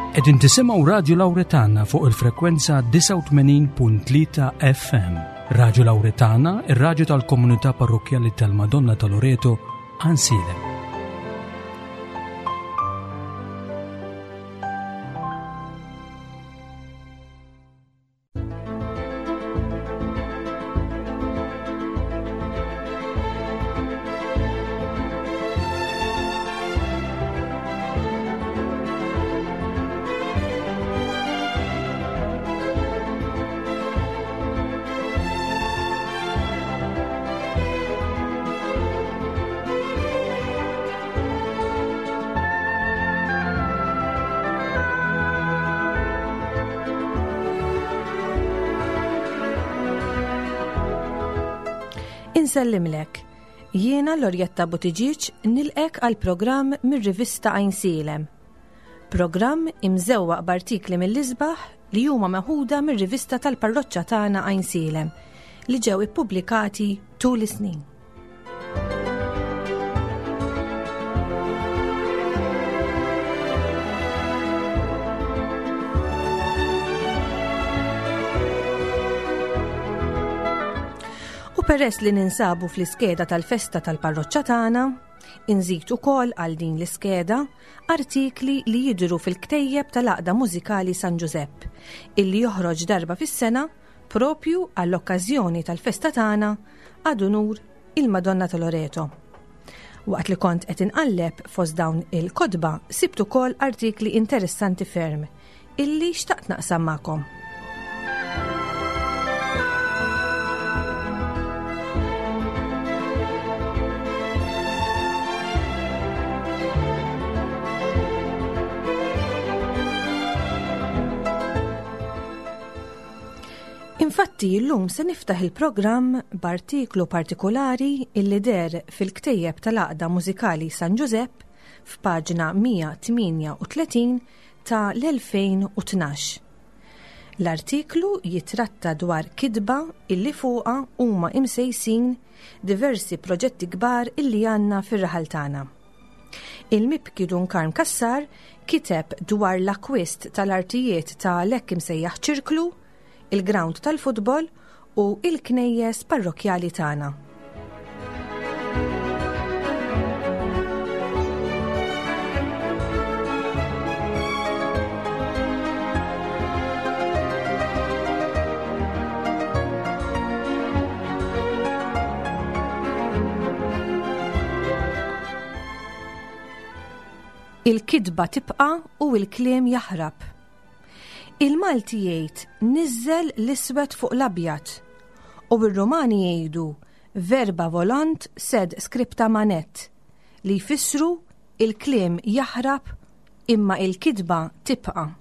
Qegħdin tisimgħu Radju Lawretana fuq il-frekwenza 89.3 FM. Radju Lawretana, ir-radju tal-komunità parrokkjali tal-Madonna ta' Loreto, Ansilem. Insellimlek. Jiena Lorjetta Buttigieg nilqek għal programm mir-rivista Għajnsielem. Programm imżewwaq b'artikli mill-isbaħ li huma meħuda mir-rivista tal-parroċċa tagħna Għajnsielem li ġew ippubblikati tul is-snin. U peress li ninsabu fl-iskeda tal-festa tal-parroċċa tagħna, inżid ukoll għal din l-iskeda artikli li jidhru fil-ktejjeb tal-Għaqda Mużikali San Ġużepp, illi joħroġ darba fis-sena propju għall-okkażjoni tal-festa tagħna ad unur il-Madonna ta' Loreto. Waqt li kont qed inqalleb fost dawn il-kotba sibt ukoll artikli interessanti ferm illi xtaqt naqsam magħkom. Infatti illum se niftaħ il-programm b'artiklu partikolari illi deher fil-ktejjeb tal-Għaqda Mużikali San Ġużepp f'paġna 138 ta' l-2012. L-artiklu jitratta dwar kitba illi fuqha huma imsejsin diversi proġetti kbar illi għandna fir-raħal tagħna. Il-mibki Dun Karm Cassar kiteb dwar l-akkwist tal-artijiet ta' l-hekk imsejjaħ ċirklu, il-grawnd tal-futbol u il-knejjes parrokkjali tagħna. Il-kitba tibqa' u l-kliem jaħrab. Il-Malti jgħid niżżel l-iswed fuq l-abjad u r-Rumani jgħidu verba volant sed scripta manet li jfissru il-kliem jaħrab imma il-kitba tibqa'.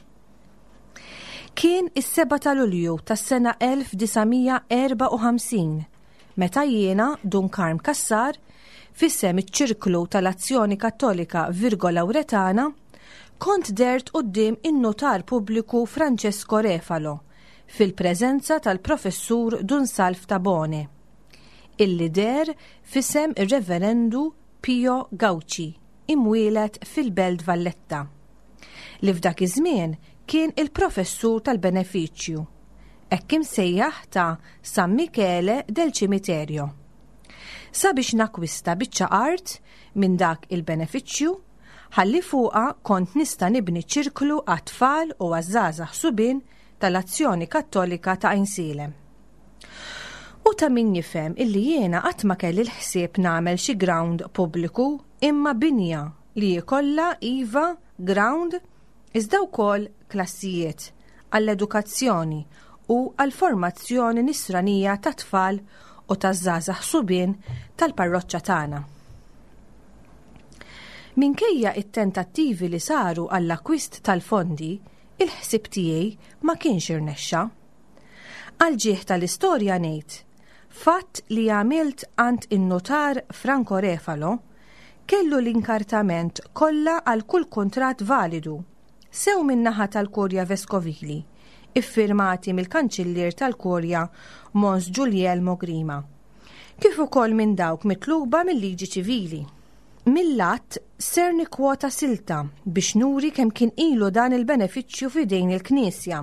Kien is-7 ta' Lulju tas-sena 1954 meta jiena, Dun Karm Cassar, f'isem iċ-Ċirklu tal-Azzjoni Kattolika Virgo Lauretana, kont dhert quddiem in-Nutar Pubbliku Francesco Refalo fil-preżenza tal-Professur Dun Salv Tabone, illi deher f'isem ir-Reverendu Pio Gauci, imwieled fil-Belt Valletta, li f'dak iż-żmien kien il-Professur tal-Benefiċċju, hekk imsejjaħ ta' San Michele del Cimiterio. Sabiex nakkwista biċċa art minn dak il-benefiċċju, ħalli fuqha kont nista' nibni ċirklu għat-tfal u għaż-żgħażagħ subien tal-Azzjoni Kattolika ta' Għajnsielem. U ta' min jifhem illi jiena qatt ma kelli l-ħsieb nagħmel xi ground pubbliku imma binja li jkollha iva ground iżda wkoll klassijiet għall-edukazzjoni u għall-formazzjoni nisranija tat-tfal u taż-żgħażagħ subien tal-parroċċa tagħna. Minkejja t-tentattivi li saru għall-akkwist tal-fondi, il-ħsieb tiegħi ma kienx irnexxa. Għall-ġieħ tal-istorja ngħid, fatt li għamilt għand in-nutar Franco Refalo, kellu l-inkartament kollha għal kull kuntratt validu, sew min-naħa tal-Kurja Veskovili, iffirmati mill-Kanċillier tal-Kurja Mons Giulielmo Grima, kif ukoll minn dawk mitluba mil-liġi ċivili. Mill-att ser nikkwota silta biex nuri kemm kien ilu dan il-benefiċċju f'idejn il-Knisja.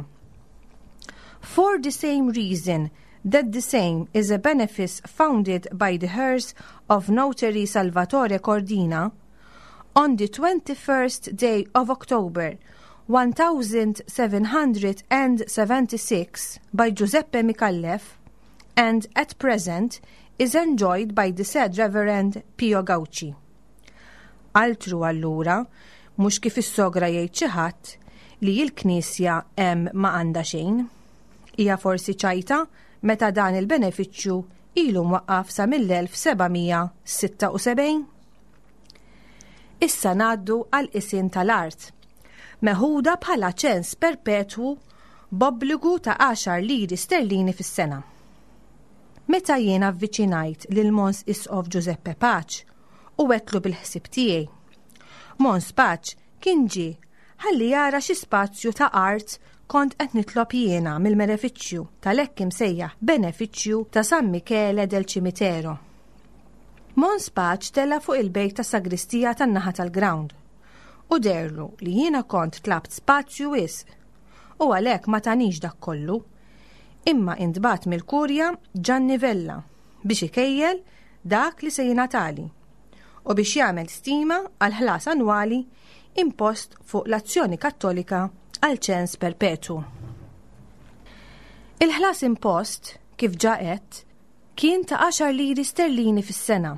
For the same reason that the same is a benefice founded by the heirs of notary Salvatore Cordina, on the 21st day of October 1776 by Giuseppe Micallef, and at present is enjoyed by the said Reverend Pio Gauci. Altru allura, mhux kif issogra jgħid xi ħadd li l-Knisja hemm ma għandha xejn. Hija forsi ċajta meta dan il-benefiċċju ilu mwaqqaf sa mill-1776? Issa ngħaddu għal qisien tal-art, meħuda bħala ċens perpetwu b'obbligu ta' għaxar liri sterlini fis-sena. Meta jien avviċinajt lil Mons Isqof Giuseppe Pace u għedtlu bil-ħsieb tiegħi. Mons Pace kien ġie ħalli jara xi spazju ta' art kont qed nitlob jiena mill-benefiċċju tal-hekk imsejjaħ benefiċċju ta' San Michele del Cimitero. Mons Pace tela' fuq il-bejt tas-sagristija tan-naħa tal-ground u deherlu li jiena kont tlabt spazju wisq u għalhekk ma tanix dak kollu, imma intbagħat mill-Kurja Gianni Vella biex ikejjel dak li se jingħatali u biex jagħmel stima għall-ħlas annwali impost fuq l-Azzjoni Kattolika għal ċens perpetwu. Il-ħlas impost, kif ġa għedt, kien ta' għaxar liri sterlini fis-sena.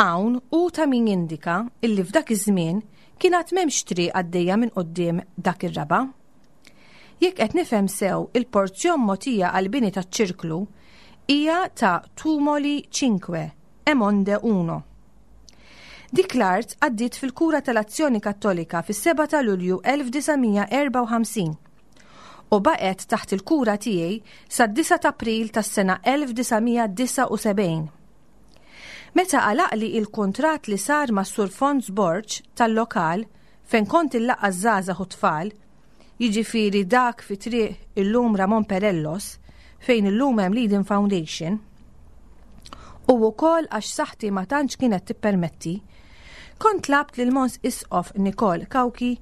Hawn hu ta' min jindika illi f'dak iż-żmien kien għad m'hemmx triq għaddejja minn quddiem dak ir-raba'. Jekk qed nifhem sew il-porzjon mogħtija għall-bini taċ-ċirklu hija ta' Tumoli Cinque e Monde Uno. Dik l-art għaddiet fil-kura tal-Azzjoni Kattolika fis-7 ta' Lulju 1954 u baqgħet taħt il-kura tiegħi sad-9 t'April tas-sena 1979. Meta għalaqli il-kuntratt li sar mas-Sur Fons Borg tal-lokal fejn kont illaqqa' ż-żgħażagħ u t-tfal, jiġifieri dak fi triq illum Ramon Perellos, fejn illum hemm l-Eden Foundation, u wkoll għax saħħti ma tantx kienet tippermetti, kont tlabt lil Mons Isqof Nikol Cauchi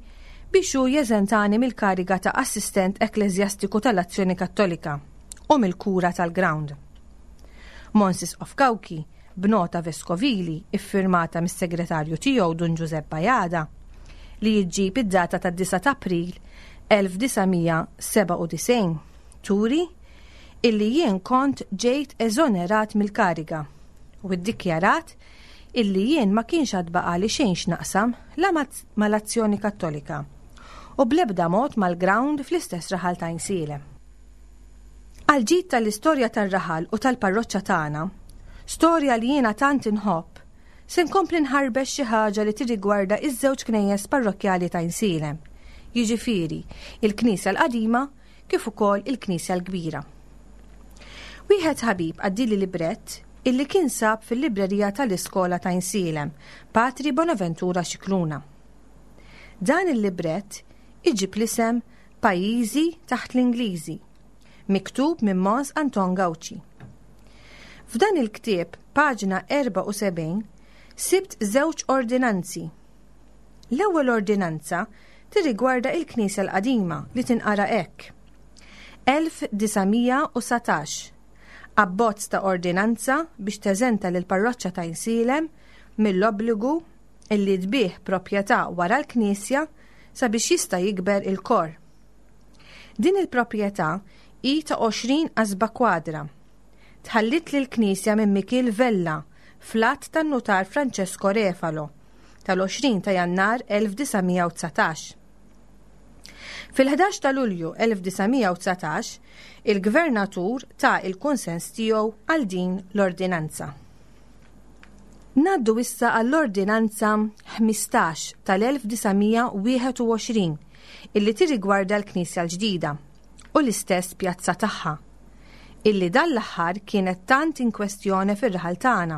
biex hu jeżentani mill-kariga ta' assistent ekkleżjastiku tal-Azzjoni Kattolika u mill-kura tal-ground. Mons Isqof Cauchi b'nota veskovili iffirmata mis-segretarju tiegħu Dun Ġużepp Bajada li ġġib id-data tad-9 ta' April 1997 turi illi jien kont ġejt eżonerat mill-kariga u ddikjarat illi jien ma kienx għad baqali xejn x'naqsam la mal-Azzjoni Kattolika u bl-ebda mod mal-ground fl-istess raħal ta' Għajnsielem. Għall-ġid tal-istorja tar-raħal u tal-parroċċa tagħna, storja li jiena tant inħobb, se nkompli nħarbex xi ħaġa li tirrigwarda iż-żewġ knejjes parrokkjali ta' Għajnsielem, jiġifieri il-Knisja l-Qadima kif ukoll il-Knisja l-Kbira. Wieħed ħabib għaddieli librett illi kien sab fil-librerija tal-iskola ta' Għajnsielem, Patri Bonaventura Scicluna. Dan il-librett iġib l-isem Pajjiżi taħt l-Ingliżi, miktub minn Mons Anton Gauci. F'dan il-ktieb, paġna 74, sibt żewġ ordinanzi. L-ewwel ordinanza tirrigwarda il-Knisja l-Qadima li tinqara hekk. 1919 Abbozz ta' ordinanza biex teżenta lill-parroċċa ta' Għajnsielem mill-obbligu illi tbigħ proprjetà wara l-knisja sabiex jista' jikber il-kor. Din il-proprjetà hi ta' 20 qasba kwadra. Tħalliet lill-knisja minn Mikiel Vella fl-att tan-nutar Francesco Refalo tal-20 ta' Jannar 1919. Fil-11 ta' Lulju 1919, il-Gvernatur ta l-kunsens tiegħu għal din l-ordinanza. Ngħaddu issa għall-Ordinanza 15 tal-1921 illi tirrigwarda l-Knisja l-ġdida u l-istess pjazza tagħha, illi dan l-aħħar kienet tant in kwestjone fir-raħal tagħna.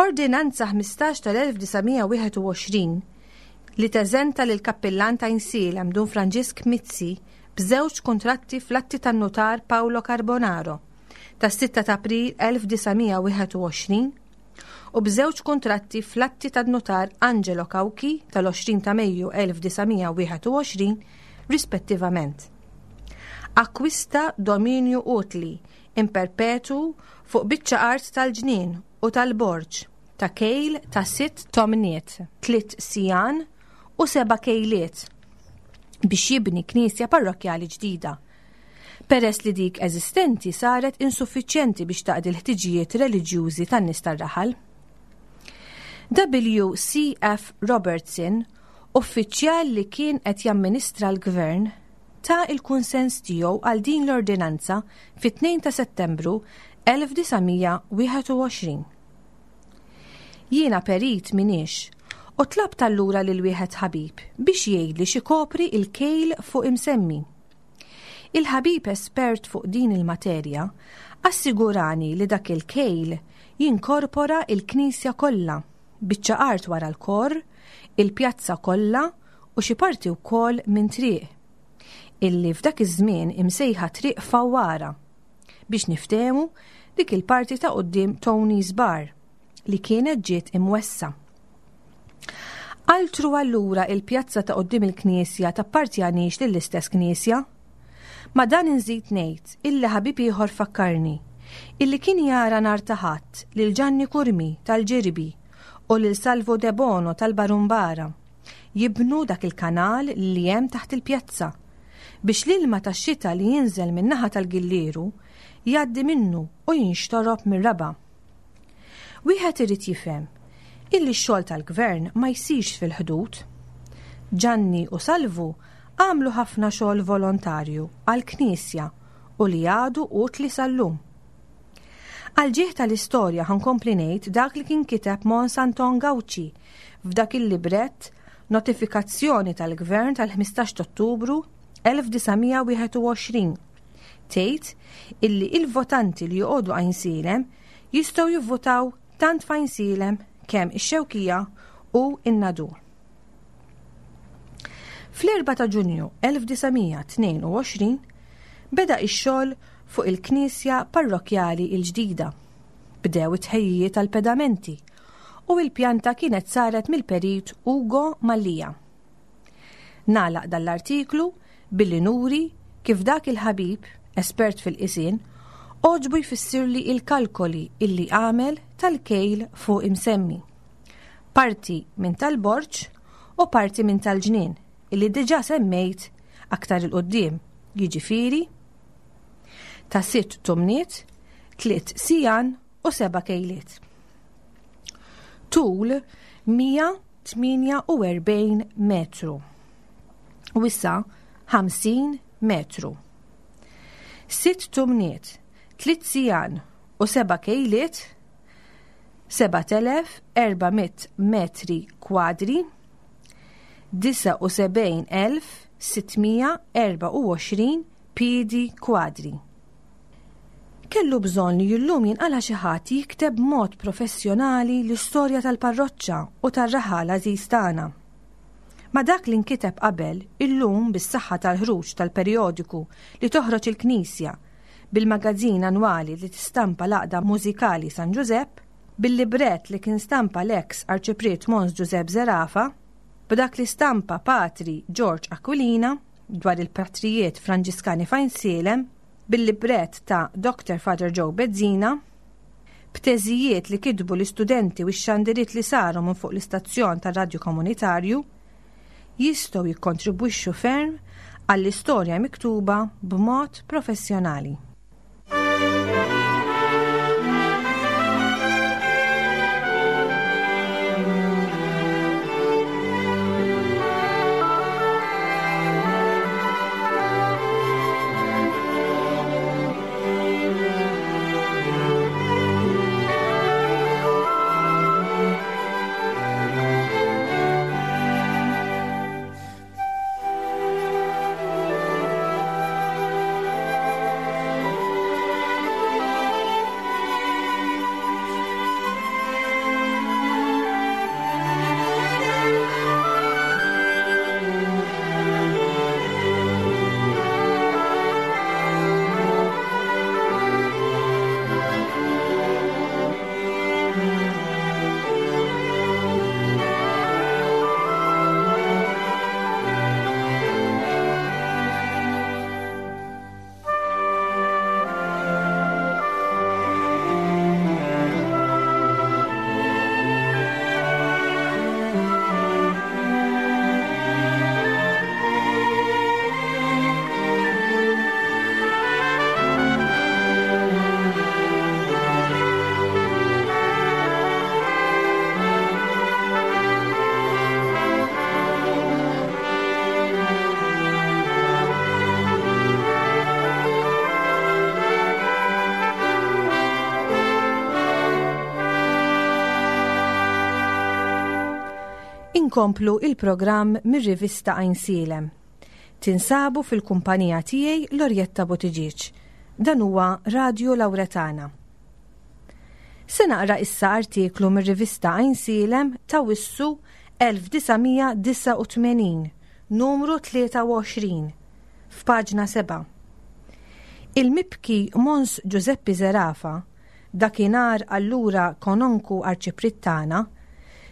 Ordinanza 15 tal-1921 li teżenta lill-Kappillan ta' Għajnsielem Dun Franġisk Mizzi b'żewġ kuntratti fl-atti tan-Nutar Paolo Carbonaro tas-6 ta' April 1921. U b'żewġ kuntratti fl-atti tad-nutar Angelo Cauchi tal-20 ta' Mejju 1921 rispettivament. Akkwista dominju utli in perpetu fuq biċċa art tal-ġnien u tal-borġ ta' kejl ta' sitt tomniet, tliet sijan u seba' kejliet biex jibni knisja parrokkjali ġdida, peress li dik eżistenti saret insuffiċjenti biex taqdi l-ħtiġijiet reliġjużi tan-nies tar-raħal. W. C. F. Robertson, uffiċjal li kien qed jamministra l-gvern, ta l-kunsens tiegħu għal din l-ordinanza fit-2 ta' Settembru 1921. Jiena perit m'iniex u tlabt allura lil wieħed ħabib biex jgħidli x'ikopri l-kejl fuq imsemmi. Il-ħabib espert fuq din il-materja assigurani li dak il-kejl jinkorpora il-knisja kollha, biċċa art wara l-kor, il-pjazza kollha u xi parti wkoll minn triq, illi f'dak iż-żmien imsejħa Triq Fawwara, biex niftehmu dik il-parti ta' quddiem Tony's Bar li kienet ġiet imwessa'. Altru allura il-pjazza ta' quddiem il-knisja tappartjanix lill-istess knisja? Ma' dan inżid ngħid illi ħabib ieħor fakkarni illi kien jara nhar ta' Ħadd lil Ġanni Curmi tal-Ġirbi u lil Salvo Debono tal-Barumbara jibnu dak il-kanal li hemm taħt il-pjazza biex l-ilma tax-xita li jinżel min-naħa tal-Gillieru jgħaddi minnu u jinxtorob mir-raba'. Wieħed irid jifhem illi x-xogħol tal-gvern ma jsirx fil-ħdud. Ġanni u Salvu għamlu ħafna xogħol volontarju għall-Knisja u li għadu utli sal-lum. Għall-ġieħ tal-istorja ħa nkompli ngħid dak li kien kiteb Mons Anton Gauci f'dak il-librett Notifikazzjoni tal-Gvern tal-15 t'Ottubru 1921. Tgħid illi il-votanti li joqogħdu Għajnsielem jistgħu jivvutaw tant f'Għajnsielem kemm ix-Xewkija u n-Nadur. Fl-4 ta' Ġunju 1922 beda x-xogħol fuq il-knisja parrokkjali l-ġdida. Bdew it-tħejjijiet għall-pedamenti u l-pjanta kienet saret mill-Perit Ugo Mallia. Nagħlaq dan l-artiklu billi nuri kif dak il-ħabib, espert fil-qisien, għoġbu jfissirli il-kalkoli illi għamel tal-kejl fuq imsemmi. Parti minn tal-borġ u parti minn tal-ġnien illi diġà semmejt aktar 'il quddiem, jiġifieri ta' sitt tumniet, tliet sijan u seba' kejliet. Tul 148 metru. Wisa 50 metru. Sitt tumniet, tliet sijan u seba' kejliet, 7400 metri kwadri, 79,624 piedi kwadri. Kellu bżonn li llum jinqala' xi ħadd jikteb b'mod professjonali l-istorja tal-parroċċa u tar-raħal għażiż tagħna. Ma' dak li nkiteb qabel, illum bis-saħħa tal-ħruġ tal-perjodiku li toħroġ il-Knisja, bil-magazzin annwali li tistampa l-Għaqda Mużikali San Ġużepp, bil-librett li kien stampa l-eks Arċipriet Mons Ġużepp Zerafa, b'dak li stampa Patri George Aquilina dwar il-patrijiet Franġiskani f'Għajnsielem, bil-librett ta' Doctor Father Joe Bezzina, b'teżijiet li kitbu l-istudenti u x-xandiriet li saru minn fuq l-istazzjon tar-radju komunitarju, jistgħu jikkontribwixxu ferm għall-istorja miktuba b'mod professjonali. Inkomplu il-programm mir-rivista Għajnsielem. Tinsabu fil-kumpanija tiegħi Lorjetta Buttigieg. Dan huwa Radio Lauretana. Se naqra issa artiklu mir-rivista Għajnsielem ta' Wissu 1989, numru 23, f'paġna 7. Il-mibki Mons Ġużeppi Zerafa, dakinhar allura Kononku Arċipriet tagħna,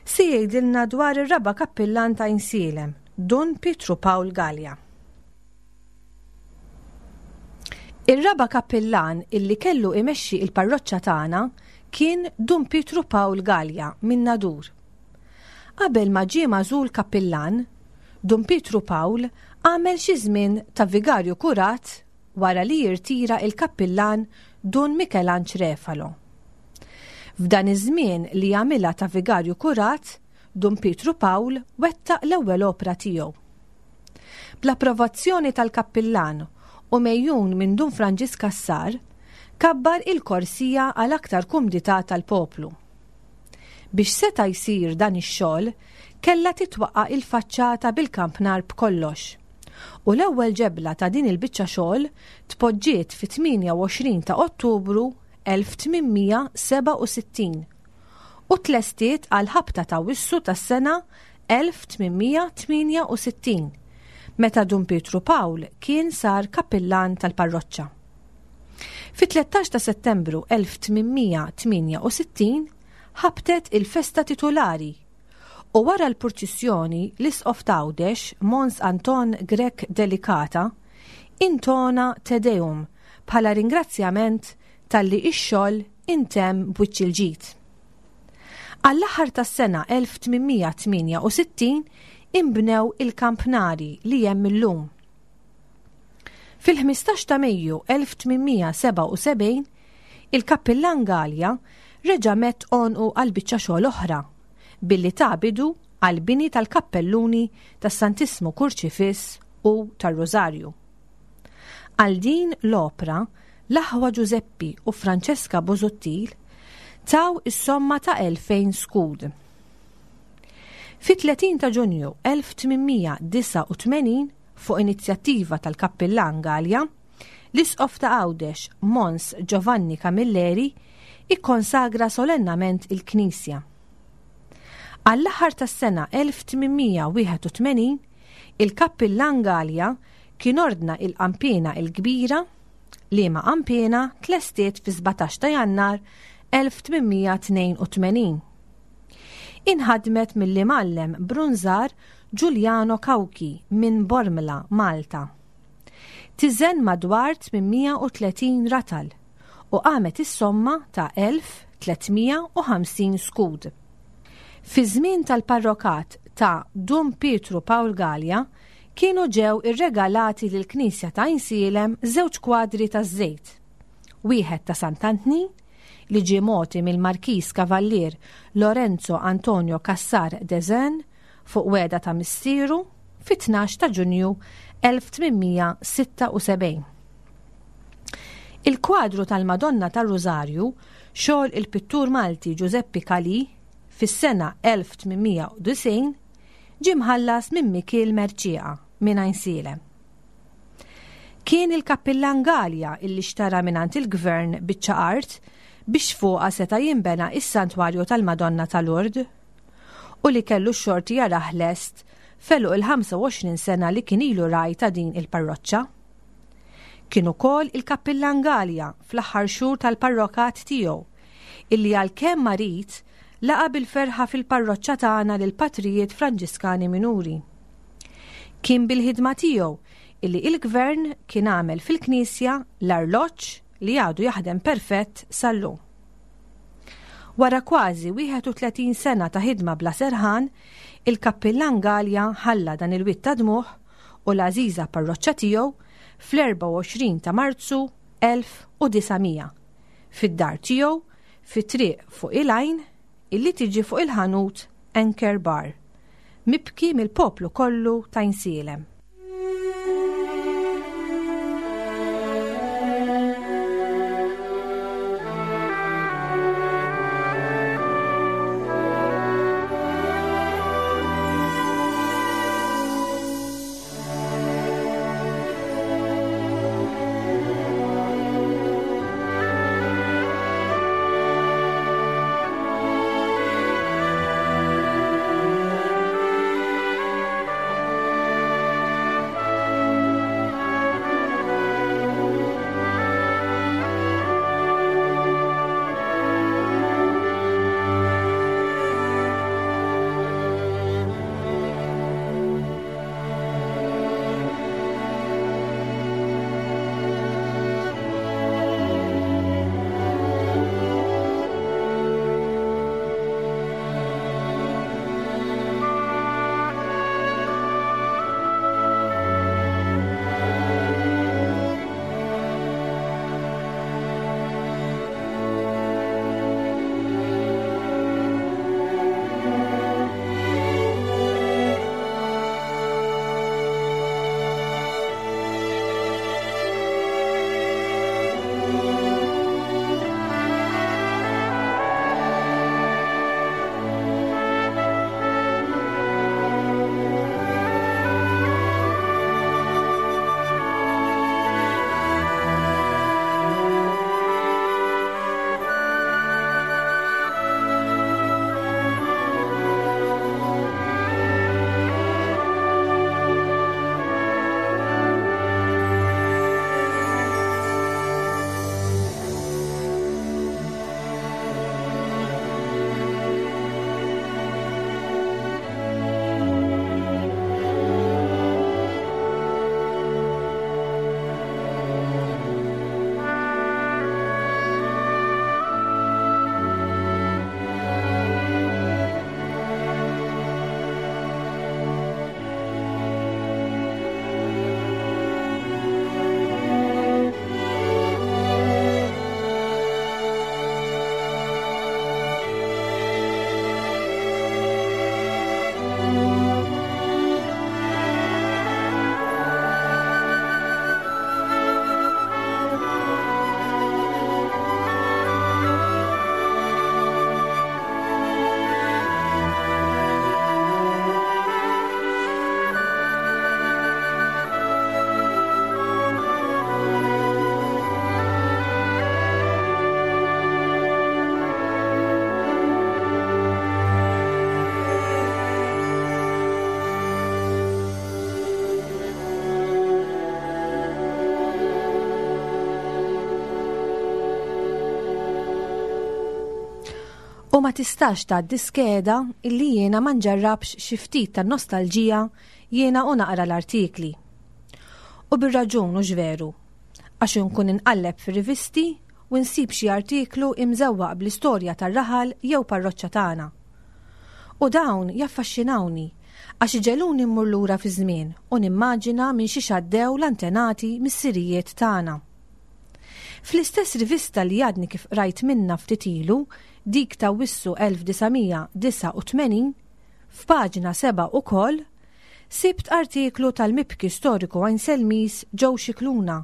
se jgħidilna dwar ir-raba' kappillan ta' Għajnsielem, Dun Pietru Pawl Galea. Ir-raba' kappillan illi kellu imexxi il-parroċċa tagħna kien Dun Pietru Pawl Galea minn Nadur. Qabel ma ġie magħżul kappillan, Dun Pietru Pawl għamel xi żmien ta' vigarju kurat wara li jirtira il-kappillan Dun Mikelanġ Refalo. F'dan iż-żmien li għamilha ta' vigarju kurat, Dun Pietru Pawl wettaq l-ewwel opra tiegħu. Bl-approvazzjoni tal-kappillan u megħjun minn Dun Franġisk Cassar, kabbar il-korsija għal aktar kumdità tal-poplu. Biex seta' jsir dan ix-xogħol, kellha titwaqqa' il-faċċata bil-kampnar b'kollox. U l-ewwel ġebla ta' din il-biċċa xogħol tpoġġiet fit-28 ta' Ottubru 1867 u tlestiet għall-ħabta ta' Wissu tas-sena 1868, meta Dun Pietru Pawl kien sar kappillan tal-parroċċa. Fit-13 ta' Settembru 1868 ħabtet il-festa titulari U wara l-purċissjoni, l-Isqof t'Għawdex, Mons Anton Grech Delicata, intona Te Deum bħala ringrazzjament talli x-xogħol intemm b'wiċċ il-ġid. Għall-aħħar tas-sena 1868 inbnew il-kampnari li hemm illum. Fil-15 ta' Mejju 1877, il-Kappillan Galea reġa' medd għonqu għal biċċa xogħol oħra, billi ta bidu għall-bini tal-kappelluni tas-Santissmu Kurċifiss u tar-Rużarju. Għal din l-opra, l-aħwa Ġużeppi u Francesca Busuttil taw is-somma ta' 2000 skud. Fit-30 ta' Ġunju 1889, fuq inizjattiva tal-Kappillan Galea, l-Isqof ta' Għawdex, Mons Giovanni Camilleri, ikkonsagra solennament il-knisja. Għall-aħħar tas-sena 1881, il-Kappillan Galea kien ordna il-qanpiena il-kbira, liema qanpiena tlestiet fi-17 ta' Jannar 1882. Inħadmet mill-imgħallem brunżar Giuliano Cauchi minn Bormla, Malta. Tiżen madwar 830 ratal u qamet is-somma ta' 1,350 skud. Fiż-żmien tal-parrokat ta' Dun Pietru Pawl Galea kienu ġew irregalati lill-knisja ta' Għajnsielem żewġ kwadri taż-żejt, wieħed ta' Sant'Antnin li ġie mogħti mill-Markiż Kavallier Lorenzo Antonio Cassar de Zen fuq wegħda ta' missieru fit-12 ta' Ġunju 1876. Il-kwadru tal-Madonna tar-Rużarju, xogħol il-pittur Malti Ġużeppi Calì fis-sena 1890, ġie mħallas minn Mikiel Mercieca minn Għajnsielem. Kien il-Kappillan Galea illi xtara mingħand il-Gvern biċċa art biex fuqha seta' jinbena s-Santwarju tal-Madonna ta' Lourdes u li kellu x-xorti jarah lest f'għeluq il-25 sena li kien ilu ragħaj ta' din il-parroċċa. Kien ukoll il-Kappillan Galea fl-aħħar xhur tal-parrokat tiegħu illi għalkemm marid laqa' bil-ferħa fil-parroċċa tagħna lill-Patrijiet Franġiskani Minuri. Kien bil-ħidma tiegħu illi il-Gvern kien għamel fil-Knisja l-arloġġ li għadu jaħdem perfett sal-lum. Wara kważi 31 sena ta' ħidma bla serħan, il-Kappillan Galea ħalla dan il-wied ta' dmugħ u l-għażiża parroċċa tiegħu fl-24 ta' Marzu 1900, fid-dar tiegħu fi triq fuq il-għajn illi tiġi fuq il-ħanut Anchor Bar, mibki mill-poplu kollu t'Għajnsielem. U ma tistax tgħaddi skeda illi jiena ma nġarrabx xi ftit tan-nostalġija jiena u naqra l-artikli. U bir-raġun hux veru? Għax inkun inqalleb fir-rivisti u nsib xi artiklu imżewwaq bl-istorja tar-raħal jew parroċċa tagħna. U dawn jaffaxxinawni għax iġegħluni mmur lura fiż-żmien u nimmaġina minn xiex għaddew l-antenati missirijiet tagħna. Fl-istess rivista li għadni kif qrajt minnha ftit ilu, dik t'Awwissu 1989, f'paġna 7 ukoll, sibt artiklu tal-mibki storiku Għajnselmiż Joe Scicluna,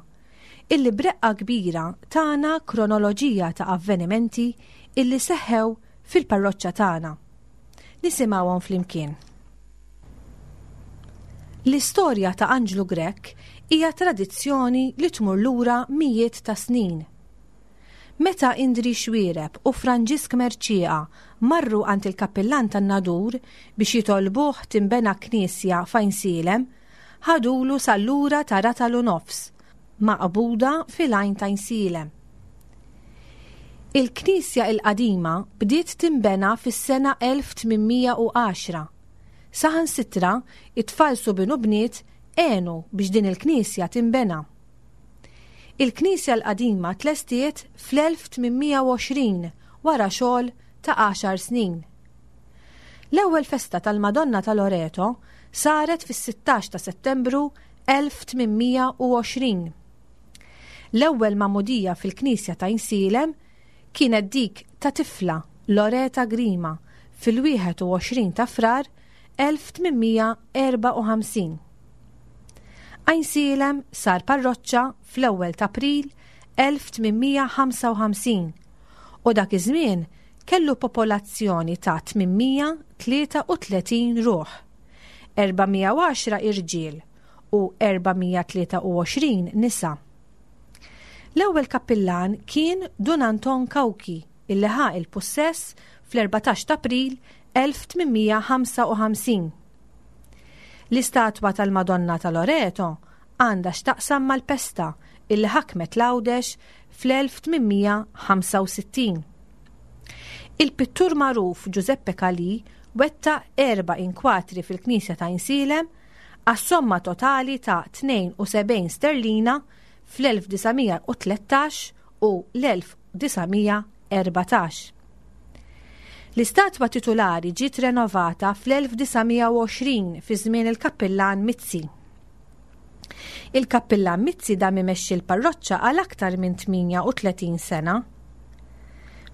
illi b'reqqa kbira tana kronoloġija ta' avvenimenti illi seħħew fil-parroċċa tagħna. Nisimgħuhom flimkien. L-istorja ta' Anġlu Grech hija tradizzjoni li tmur lura mijiet ta' snin. Meta Indri Xuereb u Franġisk Mercieca marru għand il-kappillan tan-Nadur biex jitolbuh tinbena knisja f'Għajnsielem, ħadulu sal-lura ta' ratal u nofs, maqbuda fil-Għajn t'Għajnsielem. Il-knisja il-qadima bdiet tinbena fis-sena 1810. Saħansitra, it-tfal subien u bniet għenu biex din il-knisja tinbena. Il-knisja l-qadima tlestiet fl-1820 wara xogħol ta' għaxar snin. L-ewwel festa tal-Madonna ta' Loreto saret fis-16 ta' Settembru 1820. L-ewwel magħmudija fil-knisja ta' Għajnsielem kienet dik ta' tifla, Loreta Grima, fil-21 ta' Frar 1854. Għajnsielem sar parroċċa fl-ewwel t'April 1855 u dak iż-żmien kellu popolazzjoni ta' 833 ruħ, 410 irġiel u 423 nisa. L-ewwel kappillan kien Dun Anton Cauchi illi ħa il-pussess fl-14 t'April 1855. L-istatwa tal-Madonna ta' Loreto għandha x'taqsam mal-pesta illi ħakmet l-Għawdex fl-1865. Il-pittur magħruf Giuseppe Calì wettaq erba' inkwatri fil-knisja ta' Għajnsielem għas-somma totali ta' 72 sterlina fl-1913 u l-1914. L-istatwa titulari ġiet renovata fl-1920 fi żmien il-Kappillan Mizzi. Il-Kappillan Mizzi dam imexxi l-parroċċa għal aktar minn 38 sena.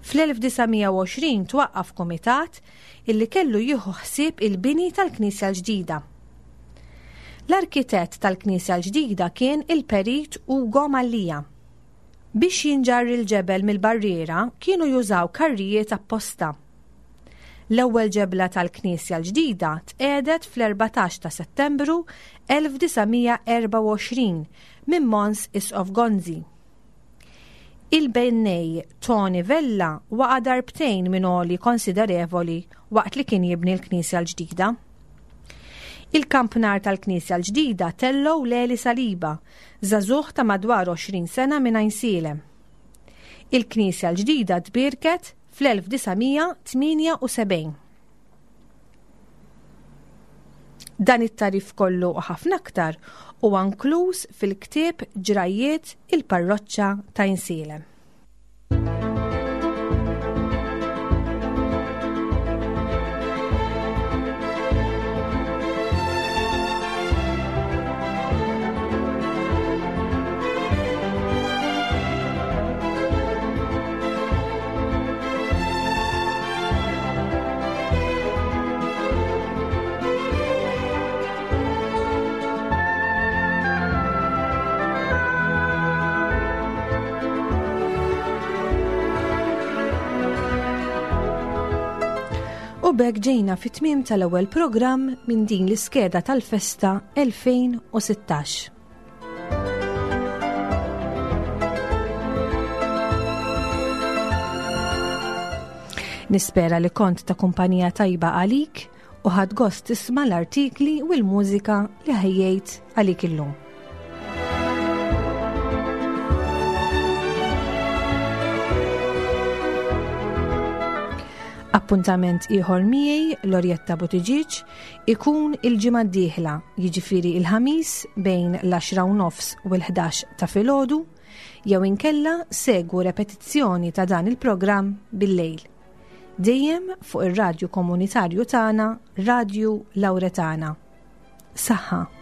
Fl-1920 twaqqaf kumitat illi kellu jieħu ħsieb il-bini tal-knisja l-ġdida. L-arkitett tal-knisja l-ġdida kien il-Perit Ugo Mallia. Biex jinġarr il-ġebel mill-barriera kienu jużaw karrijiet apposta. L-ewwel ġebla tal-knisja l-ġdida tqiegħdet fl-14 ta' Settembru 1924 minn Mons Isqof Gonzi. Il-bennej Tony Vella waqa' darbtejn minn għoli konsiderevoli waqt li kien jibni l-knisja l-ġdida. Il-kampnar tal-knisja l-ġdida tellgħu Leli Saliba, żagħżugħ ta' madwar 20 sena minn Għajnsielem. Il-knisja l-ġdida tbierket fl-1978. Dan it-tagħrif kollu u ħafna aktar huwa nkluż fil-ktieb Ġrajjiet il-Parroċċa ta' Għajnsielem. U b'hekk ġejna fit-tmiem tal-ewwel programm minn din l-iskeda tal-festa 2016. Nispera li kont ta' kumpanija tajba għalik u ħadt gost tisma' l-artikli u l-mużika li ħejjejt għalik illum. Appuntament ieħor miegħi Lorjetta Buttigieg ikun il-ġimgħa d-dieħla, jiġifieri il-Ħamis bejn l-10 u nofs u l-11 ta' filgħodu, jew inkella segwu repetizzjoni ta' dan il-programm bil-lejl. Dejjem fuq ir-radju komunitarju tagħna, Radju Lauretana. Saħħa!